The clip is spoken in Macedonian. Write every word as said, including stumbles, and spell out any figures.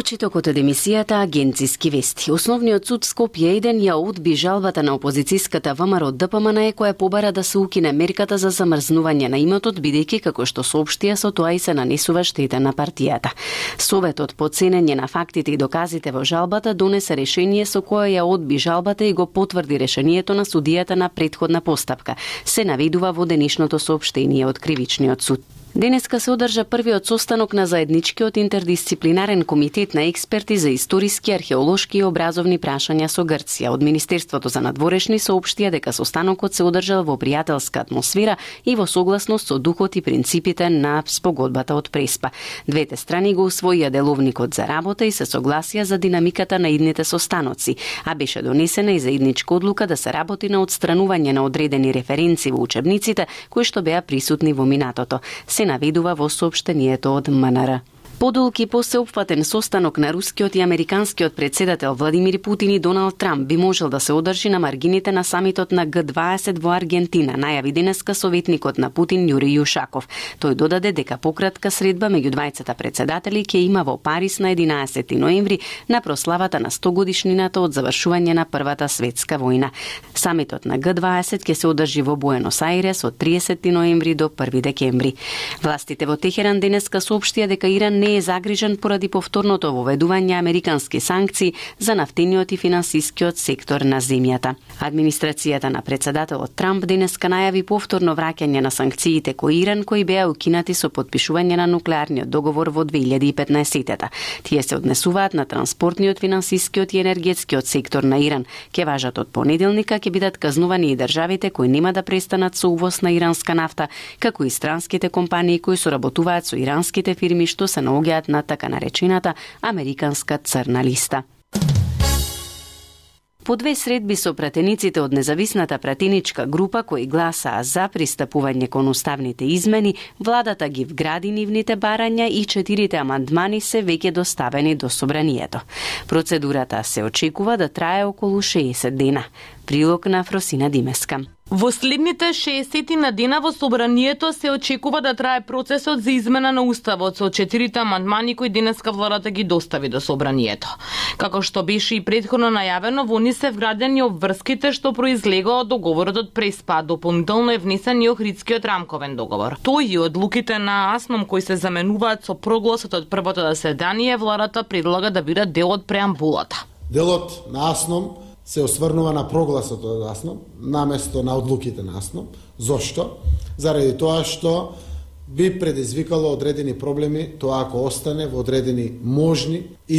Читокот од емисијата Агенциски вести. Основниот суд Скопје еден ја одби жалбата на опозицијската ВМРО Д П М Н Е која побара да се укине мерката за замрзнување на имотот, бидејќи како што соопштија со тоа и се нанесува штета на партијата. Советот по ценење на фактите и доказите во жалбата донесе решение со кое ја одби жалбата и го потврди решението на судијата на претходна постапка. Се наведува во денешното соопштение од Кривичниот суд. Денеска се одржа првиот состанок на заедничкиот интердисциплинарен комитет на експерти за историски, археолошки и образовни прашања со Грција. Од Министерството за надворешни соопштија дека состанокот се одржал во пријателска атмосфера и во согласност со духот и принципите на спогодбата од Преспа. Двете страни го усвоија деловникот за работа и се согласија за динамиката на идните состаноци, а беше донесена и заедничка одлука да се работи на отстранување на одредени референци во учебниците кои што беа присутни во минатото. Се наведува во соопштението од М Н Р. Подолг и посеопфатен состанок на рускиот и американскиот председател Владимир Путин и Доналд Трамп би можел да се одржи на маргините на самитот на Г дваесет во Аргентина, најави денеска советникот на Путин Јури Јушаков. Тој додаде дека пократка средба меѓу двајцата председатели ќе има во Париз на единаесети ноември на прославата на сто годишнината од завршување на Првата светска војна. Самитот на Г дваесет ќе се одржи во Буенос Ајрес од триесети ноември до први декември. Властите во Техеран денеска соопштија дека Иран не е загрижен поради повторното воведување американски санкции за нафтениот и финансискиот сектор на земјата. Администрацијата на председателот Трамп денеска најави повторно враќање на санкциите кои Иран кои беа укинати со подпишување на нуклеарниот договор во две илјади и петнаесетта. Тие се однесуваат на транспортниот, финансискиот и енергетскиот сектор на Иран. Ке важат од понеделника, ќе бидат казнувани и државите кои нема да престанат со увоз на иранска нафта, како и странските компании кои соработуваат со иранските фирми што се наоѓаат на така наречената американска црна листа. По две средби со пратениците од независната пратеничка група кои гласаа за пристапување кон уставните измени, владата ги вгради нивните барања и четирите амандмани се веќе доставени до собранието. Процедурата се очекува да трае околу шеесет дена. Прилог на Фросина Димеска. Во следните шеесет на дена во собранието се очекува да трае процесот за измена на уставот со четирите амандмани кои денеска владата ги достави до собранието. Како што беше и претходно најавено, во нив се вградени обврските што произлегоа од договорот од Преспа, дополнително е внесен и Охридскиот рамковен договор. Тој и одлуките на АСНОМ кои се заменуваат со прогласот од првото заседание, владата предлага да бидат дел од преамбулата. Делот на АСНОМ се осврнува на прогласот од АСНОМ, наместо на одлуките на АСНОМ. Зошто? Заради тоа што би предизвикало одредени проблеми, тоа ако остане во одредени можни и